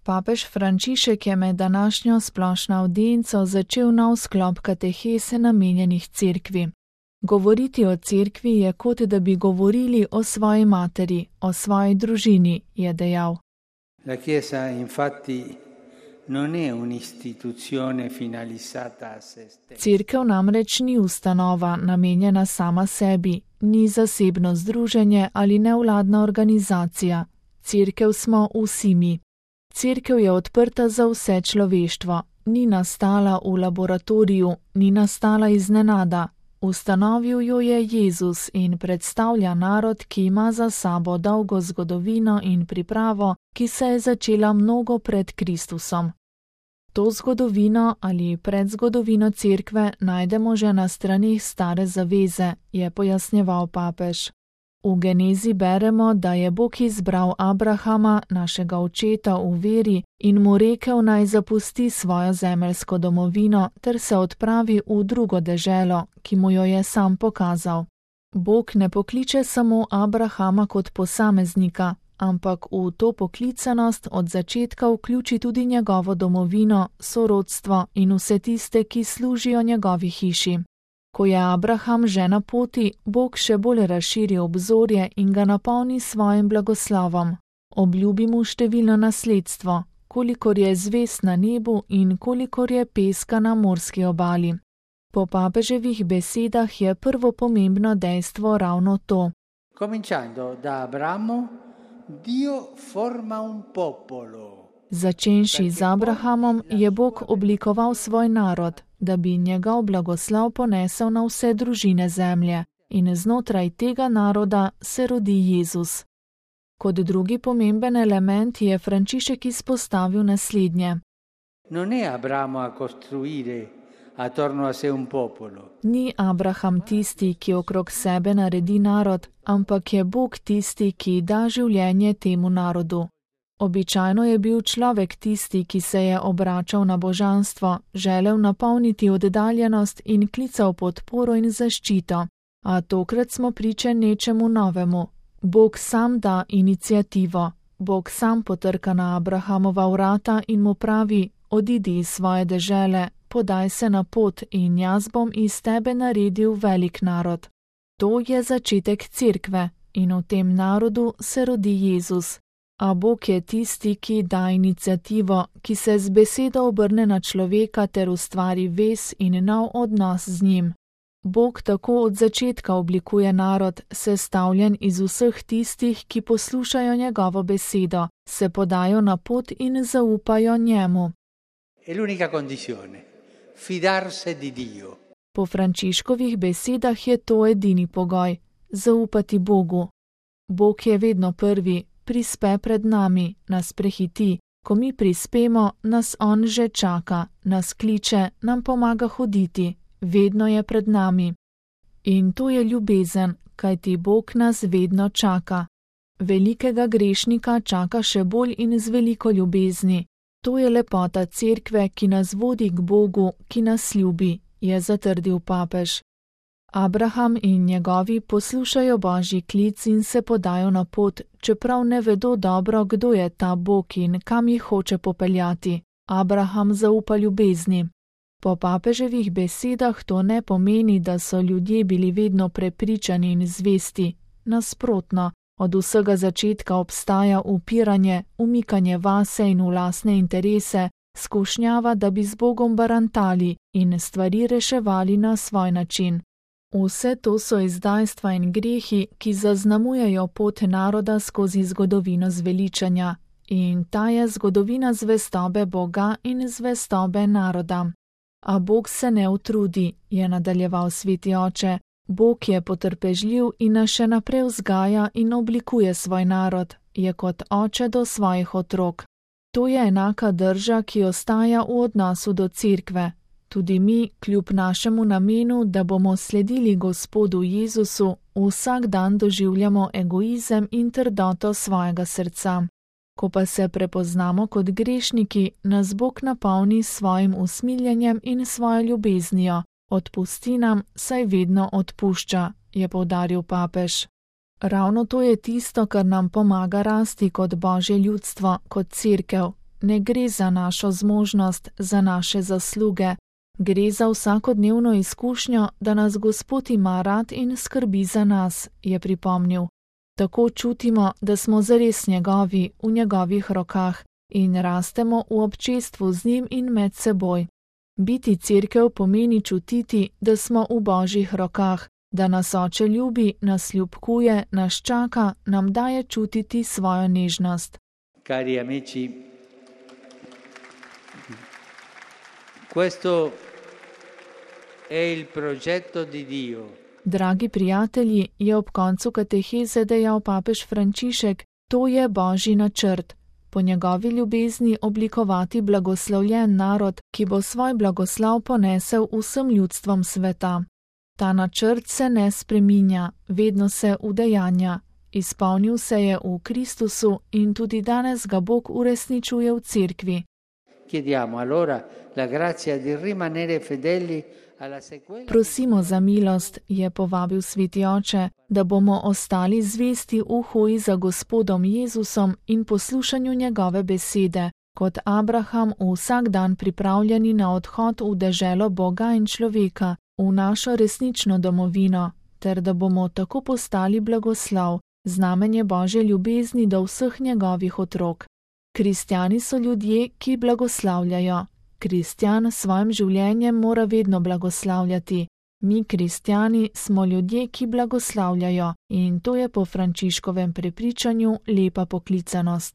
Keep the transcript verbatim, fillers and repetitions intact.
Papež Frančišek je med današnjo splošno avdienco začel nov sklop katehese namenjenih cerkvi. Govoriti o cerkvi je kot da bi govorili o svoji materi, o svoji družini, je dejal. La Chiesa infatti non è un'istituzione finalizzata a se stessa. Cerkev namreč ni ustanova namenjena sama sebi, ni zasebno združenje ali nevladna organizacija. Cerkev smo vsi mi. Cerkev je odprta za vse človeštvo, ni nastala v laboratoriju, ni nastala iznenada. Ustanovil jo je Jezus in predstavlja narod, ki ima za sabo dolgo zgodovino in pripravo, ki se je začela mnogo pred Kristusom. To zgodovino ali predzgodovino cerkve najdemo že na straneh Stare zaveze, je pojasnjeval papež. V Genezi beremo, da je Bog izbral Abrahama, našega očeta v veri, in mu rekel, naj zapusti svojo zemeljsko domovino ter se odpravi v drugo deželo, ki mu jo je sam pokazal. Bog ne pokliče samo Abrahama kot posameznika, ampak v to poklicanost od začetka vključi tudi njegovo domovino, sorodstvo in vse tiste, ki služijo njegovi hiši. Ko je Abraham že na poti, Bog še bolj razširi obzorje in ga napolni svojim blagoslovom. Obljubi mu številno nasledstvo, kolikor je zvezd na nebu in kolikor je peska na morski obali. Po papeževih besedah je prvo pomembno dejstvo ravno to. Cominciando da Abramo, Dio forma un popolo. Začenši z Abrahamom je Bog oblikoval svoj narod, da bi njegov blagoslov ponesel na vse družine zemlje, in znotraj tega naroda se rodi Jezus. Kot drugi pomemben element je Frančišek izpostavil naslednje. Non è Abramo a costruire attorno a sé un popolo. Ni Abraham tisti, ki okrog sebe naredi narod, ampak je Bog tisti, ki da življenje temu narodu. Običajno je bil človek tisti, ki se je obračal na božanstvo, želel napolniti oddaljenost in klical podporo in zaščito, a tokrat smo priče nečemu novemu. Bog sam da iniciativo, Bog sam potrka na Abrahamova vrata in mu pravi, odidi iz svoje dežele, podaj se na pot in jaz bom iz tebe naredil velik narod. To je začetek cerkve in v tem narodu se rodi Jezus. A Bog je tisti, ki da iniciativo, ki se z besedo obrne na človeka ter ustvari vez in nov odnos z njim. Bog tako od začetka oblikuje narod, sestavljen iz vseh tistih, ki poslušajo njegovo besedo, se podajo na pot in zaupajo njemu. È l'unica condizione, fidarsi di Dio. Po Frančiškovih besedah je to edini pogoj, zaupati Bogu. Bog je vedno prvi. Prispe pred nami, nas prehiti, ko mi prispemo, nas on že čaka, nas kliče, nam pomaga hoditi, vedno je pred nami. In to je ljubezen, kajti Bog nas vedno čaka. Velikega grešnika čaka še bolj in z veliko ljubezni. To je lepota cerkve, ki nas vodi k Bogu, ki nas ljubi, je zatrdil papež. Abraham in njegovi poslušajo Božji klic in se podajo na pot, čeprav ne vedo dobro, kdo je ta Bog in kam jih hoče popeljati. Abraham zaupa ljubezni. Po papeževih besedah to ne pomeni, da so ljudje bili vedno prepričani in zvesti. Nasprotno, od vsega začetka obstaja upiranje, umikanje vase in v lastne interese, skušnjava, da bi z Bogom barantali in stvari reševali na svoj način. Vse to so izdajstva in grehi, ki zaznamujejo pot naroda skozi zgodovino zveličanja, in ta je zgodovina zvestobe Boga in zvestobe naroda. A Bog se ne utrudi, je nadaljeval sveti oče. Bog je potrpežljiv in nas še naprej vzgaja in oblikuje svoj narod, je kot oče do svojih otrok. To je enaka drža, ki ostaja v odnosu do cerkve. Tudi mi, kljub našemu namenu, da bomo sledili Gospodu Jezusu, vsak dan doživljamo egoizem in trdoto svojega srca. Ko pa se prepoznamo kot grešniki, nas Bog napolni s svojim usmiljenjem in svojo ljubeznijo. Odpusti nam, saj vedno odpušča, je poudaril papež. Ravno to je tisto, kar nam pomaga rasti kot Božje ljudstvo, kot cerkev. ne gre za našo zmožnost, za naše zasluge. Gre za vsakodnevno izkušnjo, da nas Gospod ima rad in skrbi za nas, je pripomnil. Tako čutimo, da smo zares njegovi, v njegovih rokah in rastemo v občestvu z njim in med seboj. Biti cerkev pomeni čutiti, da smo v Božjih rokah, da nas Oče ljubi, nas ljubkuje, nas čaka, nam daje čutiti svojo nežnost. Cari amici, questo è il progetto di Dio. Dragi prijatelji, je ob koncu kateheze dejal papež Frančišek, to je Božji načrt. Po njegovi ljubezni oblikovati blagoslovljen narod, ki bo svoj blagoslav ponesel vsem ljudstvom sveta. Ta načrt se ne spreminja, vedno se udejanja. Izpolnil se je v Kristusu in tudi danes ga Bog uresničuje v cerkvi. Chiediamo allora la grazia di rimanere fedeli alla sequela. Prosimo za milost, je povabil Sveti Oče, da bomo ostali zvesti v hoji za Gospodom Jezusom in poslušanju njegove besede, kot Abraham vsak dan pripravljeni na odhod v deželo Boga in človeka, v našo resnično domovino, ter da bomo tako postali blagoslov, znamenje Božje ljubezni do vseh njegovih otrok. Kristjani so ljudje, ki blagoslavljajo. Kristjan s svojim življenjem mora vedno blagoslavljati. Mi, kristjani, smo ljudje, ki blagoslavljajo, in to je po Frančiškovem prepričanju lepa poklicanost.